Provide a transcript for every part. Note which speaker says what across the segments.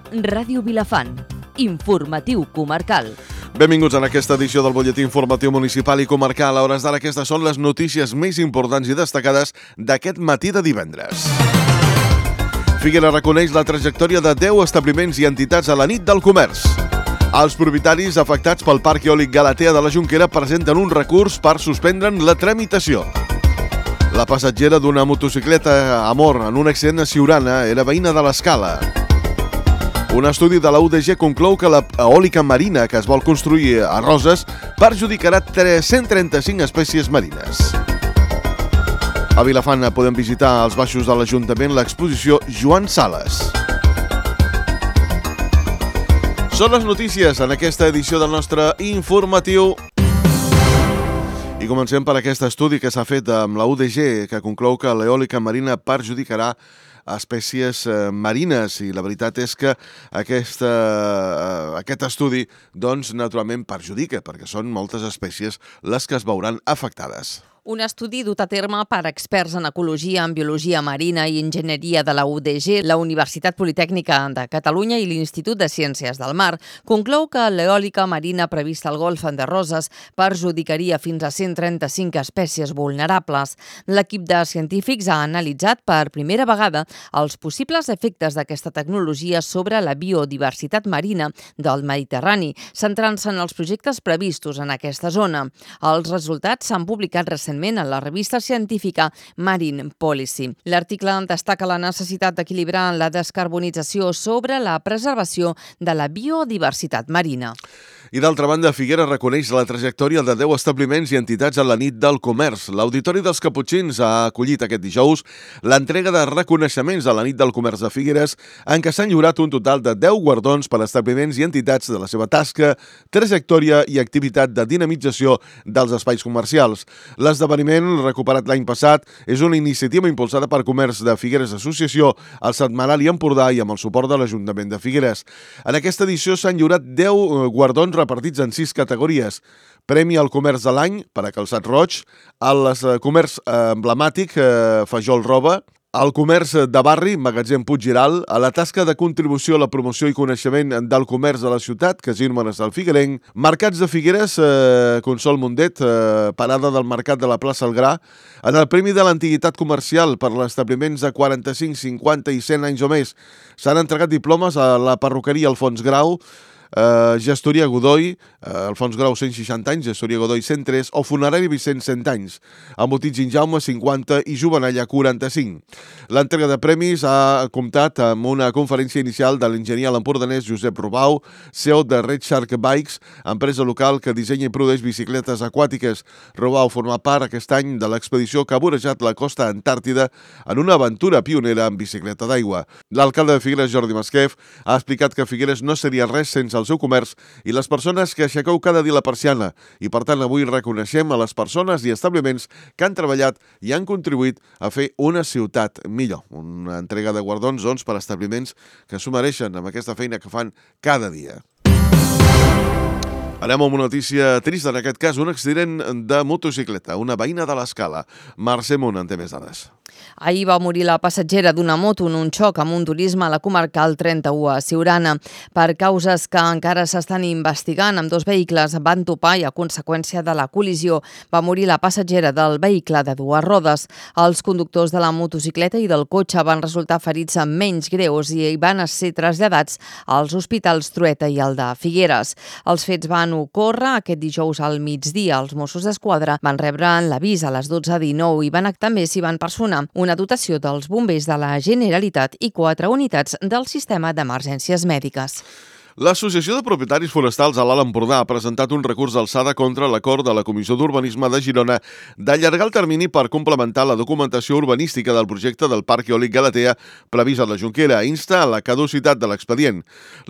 Speaker 1: Ràdio Vilafant. Informatiu comarcal.
Speaker 2: Benvinguts en aquesta edició del Butlletí Informatiu Municipal i Comarcal. A hores d'ara aquestes són les notícies més importants i destacades d'aquest matí de divendres. Figueres reconeix la trajectòria de 10 establiments i entitats a la nit del comerç. Els propietaris afectats pel Parc Eòlic Galatea de la Jonquera presenten un recurs per suspendre'n la tramitació. La passatgera d'una motocicleta a mort en un accident a Siurana era veïna de l'Escala. Un estudi de la UDG conclou que la eòlica marina que es vol construir a Roses perjudicarà 135 espècies marines. A Vilafant podem visitar als baixos de l'Ajuntament l'exposició Joan Sales. Són les notícies en aquesta edició del nostre informatiu. I comencem per aquest estudi que s'ha fet amb la UDG, que conclou que l'eòlica marina perjudicarà espècies marines, i la veritat és que aquest estudi doncs, naturalment perjudica, perquè són moltes espècies les que es veuran afectades.
Speaker 1: Un estudi dut a terme per experts en ecologia, en biologia marina i enginyeria de la UDG, la Universitat Politècnica de Catalunya i l'Institut de Ciències del Mar, conclou que l'eòlica marina prevista al Golf de Roses perjudicaria fins a 135 espècies vulnerables. L'equip de científics ha analitzat per primera vegada els possibles efectes d'aquesta tecnologia sobre la biodiversitat marina del Mediterrani, centrant-se en els projectes previstos en aquesta zona. Els resultats s'han publicat recentment en la revista científica Marine Policy. L'article destaca la necessitat d'equilibrar la descarbonització sobre la preservació de la biodiversitat marina.
Speaker 2: I d'altra banda, Figueres reconeix la trajectòria de 10 establiments i entitats a la nit del comerç. L'Auditori dels Caputxins ha acollit aquest dijous l'entrega de reconeixements a la nit del comerç de Figueres, en què s'han lliurat un total de 10 guardons per a establiments i entitats de la seva tasca, trajectòria i activitat de dinamització dels espais comercials. L'esdeveniment, recuperat l'any passat, és una iniciativa impulsada per Comerç de Figueres Associació, el Setmanari Empordà i amb el suport de l'Ajuntament de Figueres. En aquesta edició s'han lliurat 10 guardons repartits en 6 categories. Premi al comerç de l'any per a Calçat Roig, al comerç emblemàtic Fajol Roba, al comerç de barri, Magatzem Puiggiral, a la tasca de contribució a la promoció i coneixement del comerç de la ciutat, Casino Marçal Figuerenc, Mercats de Figueres, Consol Mundet, parada del Mercat de la plaça El Gra, en el Premi de l'Antiguitat Comercial per a establiments de 45, 50 i 100 anys o més. S'han entregat diplomes a la perruqueria Alfons Grau, Gestoria Godoy, Alfons Grau 160 anys, Gestoria Godoy 103, o Funerari Vicent 100 anys, Embotit Ginjaume 50 i Jovenalla 45. L'entrega de premis ha comptat amb una conferència inicial de l'enginyer a l'empordanès Josep Rubau, CEO de Red Shark Bikes, empresa local que dissenya i produeix bicicletes aquàtiques. Rubau forma part aquest any de l'expedició que ha vorejat la costa antàrtida en una aventura pionera en bicicleta d'aigua. L'alcalde de Figueres, Jordi Masquef, ha explicat que Figueres no seria res sense el seu comerç i les persones que aixequeu cada dia la persiana, i per tant avui reconeixem a les persones i establiments que han treballat i han contribuït a fer una ciutat millor. Una entrega de guardons, doncs, per a establiments que s'ho mereixen amb aquesta feina que fan cada dia. Anem amb una notícia trista, en aquest cas, un accident de motocicleta, una veïna de l'Escala. Mercè Munt en té més dades.
Speaker 1: Ahir va morir la passatgera d'una moto en un xoc amb un turisme a la comarcal 31 a Siurana. Per causes que encara s'estan investigant, amb 2 vehicles van topar i a conseqüència de la col·lisió va morir la passatgera del vehicle de 2 rodes. Els conductors de la motocicleta i del cotxe van resultar ferits amb menys greus i van ser traslladats als hospitals Trueta i el de Figueres. Els fets van ocórrer aquest dijous al migdia. Els Mossos d'Esquadra van rebre l'avís a les 12:19 i també s'hi van personar una dotació dels bombers de la Generalitat i 4 unitats del sistema d'emergències mèdiques.
Speaker 2: L'Associació de Propietaris Forestals a l'Alt Empordà ha presentat un recurs d'alçada contra l'acord de la Comissió d'Urbanisme de Girona d'allargar el termini per complementar la documentació urbanística del projecte del Parc Eòlic Galatea previst a la Jonquera. Insta a la caducitat de l'expedient.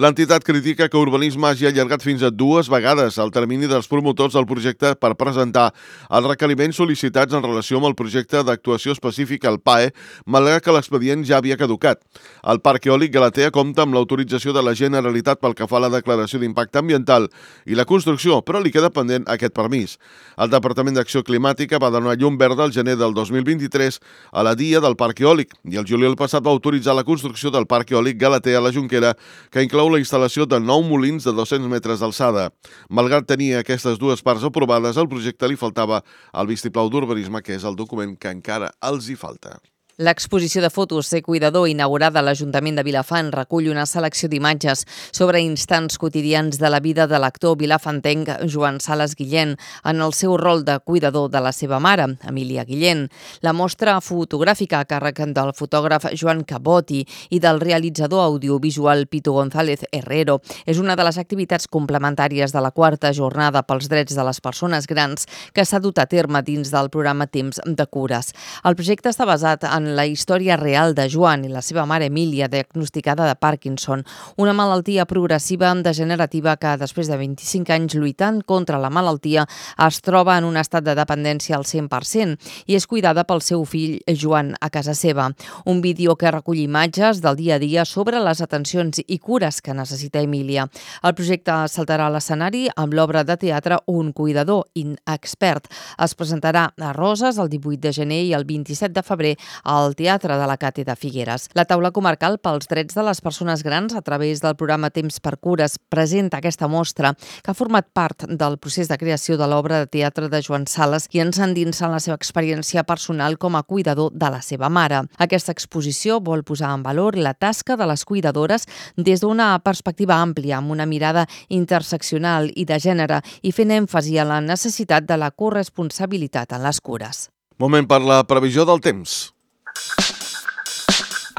Speaker 2: L'entitat critica que Urbanisme hagi allargat fins a 2 vegades el termini dels promotors del projecte per presentar els requeriments sol·licitats en relació amb el projecte d'actuació específica al PAE, malgrat que l'expedient ja havia caducat. El Parc Eòlic Galatea compta amb l'autorització de la Generalitat pel que fa a la declaració d'impacte ambiental i la construcció, però li queda pendent aquest permís. El Departament d'Acció Climàtica va donar llum verda al gener del 2023 a la dia del Parc Eòlic i el juliol passat va autoritzar la construcció del Parc Eòlic Galatea a la Jonquera, que inclou la instal·lació de 9 molins de 200 metres d'alçada. Malgrat tenir aquestes dues parts aprovades, al projecte li faltava el vistiplau d'urbanisme, que és el document que encara els hi falta.
Speaker 1: L'exposició de fotos Ser cuidador, inaugurada a l'Ajuntament de Vilafant, recull una selecció d'imatges sobre instants quotidians de la vida de l'actor vilafantenc Joan Sales Guillén en el seu rol de cuidador de la seva mare, Emília Guillén. La mostra fotogràfica a càrrec del fotògraf Joan Cabotti i del realitzador audiovisual Pitu González Herrero és una de les activitats complementàries de la 4a jornada pels drets de les persones grans que s'ha dut a terme dins del programa Temps de Cures. El projecte està basat en la història real de Joan i la seva mare Emília, diagnosticada de Parkinson, una malaltia progressiva degenerativa que, després de 25 anys lluitant contra la malaltia, es troba en un estat de dependència al 100% i és cuidada pel seu fill Joan a casa seva. Un vídeo que recull imatges del dia a dia sobre les atencions i cures que necessita Emília. El projecte saltarà a l'escenari amb l'obra de teatre Un cuidador inexpert. Es presentarà a Roses el 18 de gener i el 27 de febrer al Teatre de la Cate de Figueres. La taula comarcal pels drets de les persones grans, a través del programa Temps per Cures, presenta aquesta mostra que ha format part del procés de creació de l'obra de teatre de Joan Sales i ens endinsa en la seva experiència personal com a cuidador de la seva mare. Aquesta exposició vol posar en valor la tasca de les cuidadores des d'una perspectiva àmplia, amb una mirada interseccional i de gènere i fent èmfasi a la necessitat de la corresponsabilitat en les cures.
Speaker 2: Moment per la previsió del temps.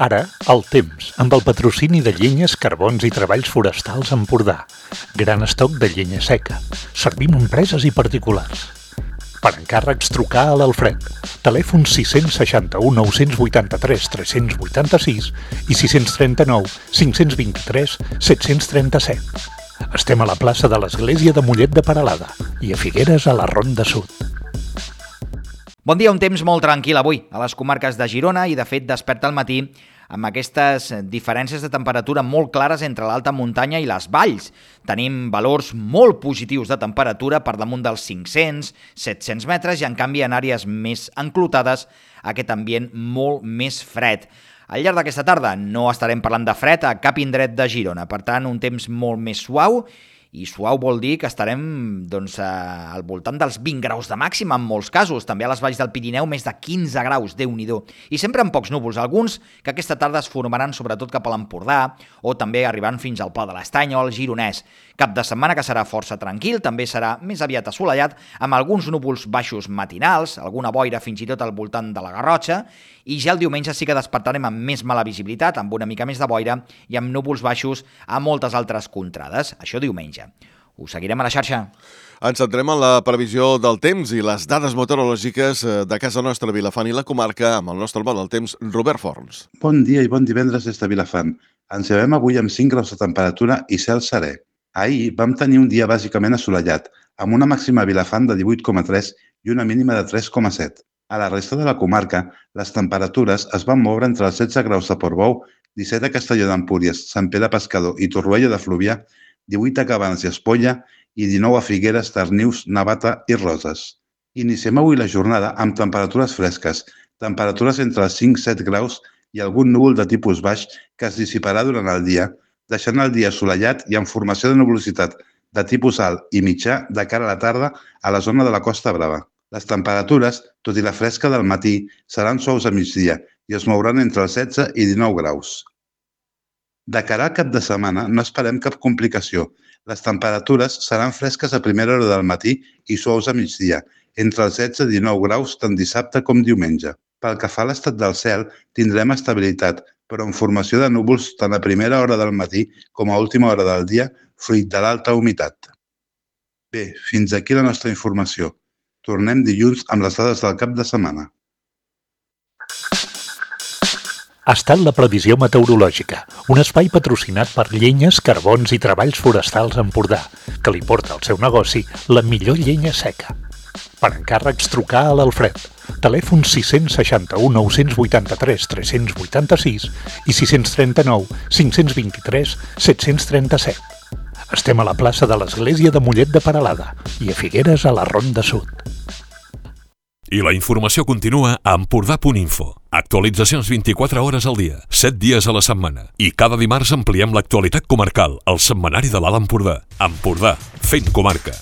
Speaker 3: Ara, el temps, amb el patrocini de Llenyes, Carbons i Treballs Forestals Empordà. Gran estoc de llenya seca. Servim a empreses i particulars. Per encàrrecs, trucar a l'Alfred. Telèfon 661 983 386 i 639 523 737. Estem a la plaça de l'Església de Mollet de Peralada i a Figueres a la Ronda Sud.
Speaker 4: Bon dia, un temps molt tranquil avui a les comarques de Girona i, de fet, desperta al matí amb aquestes diferències de temperatura molt clares entre l'alta muntanya i les valls. Tenim valors molt positius de temperatura per damunt dels 500-700 metres i, en canvi, en àrees més enclotades, aquest ambient molt més fred. Al llarg d'aquesta tarda no estarem parlant de fred a cap indret de Girona, per tant, un temps molt més suau, i suau vol dir que estarem al voltant dels 20 graus de màxima en molts casos, també a les valls del Pirineu més de 15 graus, Déu-n'hi-do. I sempre amb pocs núvols, alguns que aquesta tarda es formaran sobretot cap a l'Empordà o també arribant fins al Pla de l'Estany o al Gironès. Cap de setmana que serà força tranquil, també serà més aviat assolellat, amb alguns núvols baixos matinals, alguna boira fins i tot al voltant de la Garrotxa, i ja el diumenge sí que despertarem amb més mala visibilitat, amb una mica més de boira i amb núvols baixos a moltes altres contrades. Això diumenge. Us seguirem a la xarxa.
Speaker 2: Ens centrem en la previsió del temps i les dades meteorològiques de casa nostra, Vilafant i la comarca, amb el nostre home del temps, Robert Forns.
Speaker 5: Bon dia i bon divendres des de Vilafant. Ens llevem avui amb 5 graus de temperatura i cel serè. Ahir vam tenir un dia bàsicament assolellat, amb una màxima a Vilafant de 18,3 i una mínima de 3,7. A la resta de la comarca, les temperatures es van moure entre els 16 graus de Portbou, 17 a Castelló d'Empúries, Sant Pere Pescador i Torroella de Fluvià, 18 a Cabanes i Espolla i 19 a Figueres, Darnius, Navata i Roses. Iniciem avui la jornada amb temperatures fresques, temperatures entre els 5-7 graus i algun núvol de tipus baix que es dissiparà durant el dia, deixant el dia assolellat i amb formació de nuvolositat de tipus alt i mitjà de cara a la tarda a la zona de la Costa Brava. Les temperatures, tot i la fresca del matí, seran suaus a migdia i es mouran entre els 16 i 19 graus. De cara al cap de setmana no esperem cap complicació. Les temperatures seran fresques a primera hora del matí i suaus a migdia, entre els 16 i 19 graus tant dissabte com diumenge. Pel que fa a l'estat del cel, tindrem estabilitat, però amb formació de núvols tant a primera hora del matí com a última hora del dia, fruit de l'alta humitat. Bé, fins aquí la nostra informació. Tornem dilluns amb les dades del cap de setmana.
Speaker 3: Ha estat la previsió meteorològica, un espai patrocinat per Llenyes, Carbons i Treballs Forestals Empordà, que li porta al seu negoci la millor llenya seca. Per encàrrecs, trucar a l'Alfred. Telèfon 661 983 386 i 639 523 737. Estem a la plaça de l'Església de Mollet de Peralada i a Figueres a la Ronda Sud.
Speaker 6: I la informació continua a Empordà.info. Actualitzacions 24 hores al dia, 7 dies a la setmana. I cada dimarts ampliem l'actualitat comarcal al setmanari de l'Alt Empordà. Empordà, fent comarca.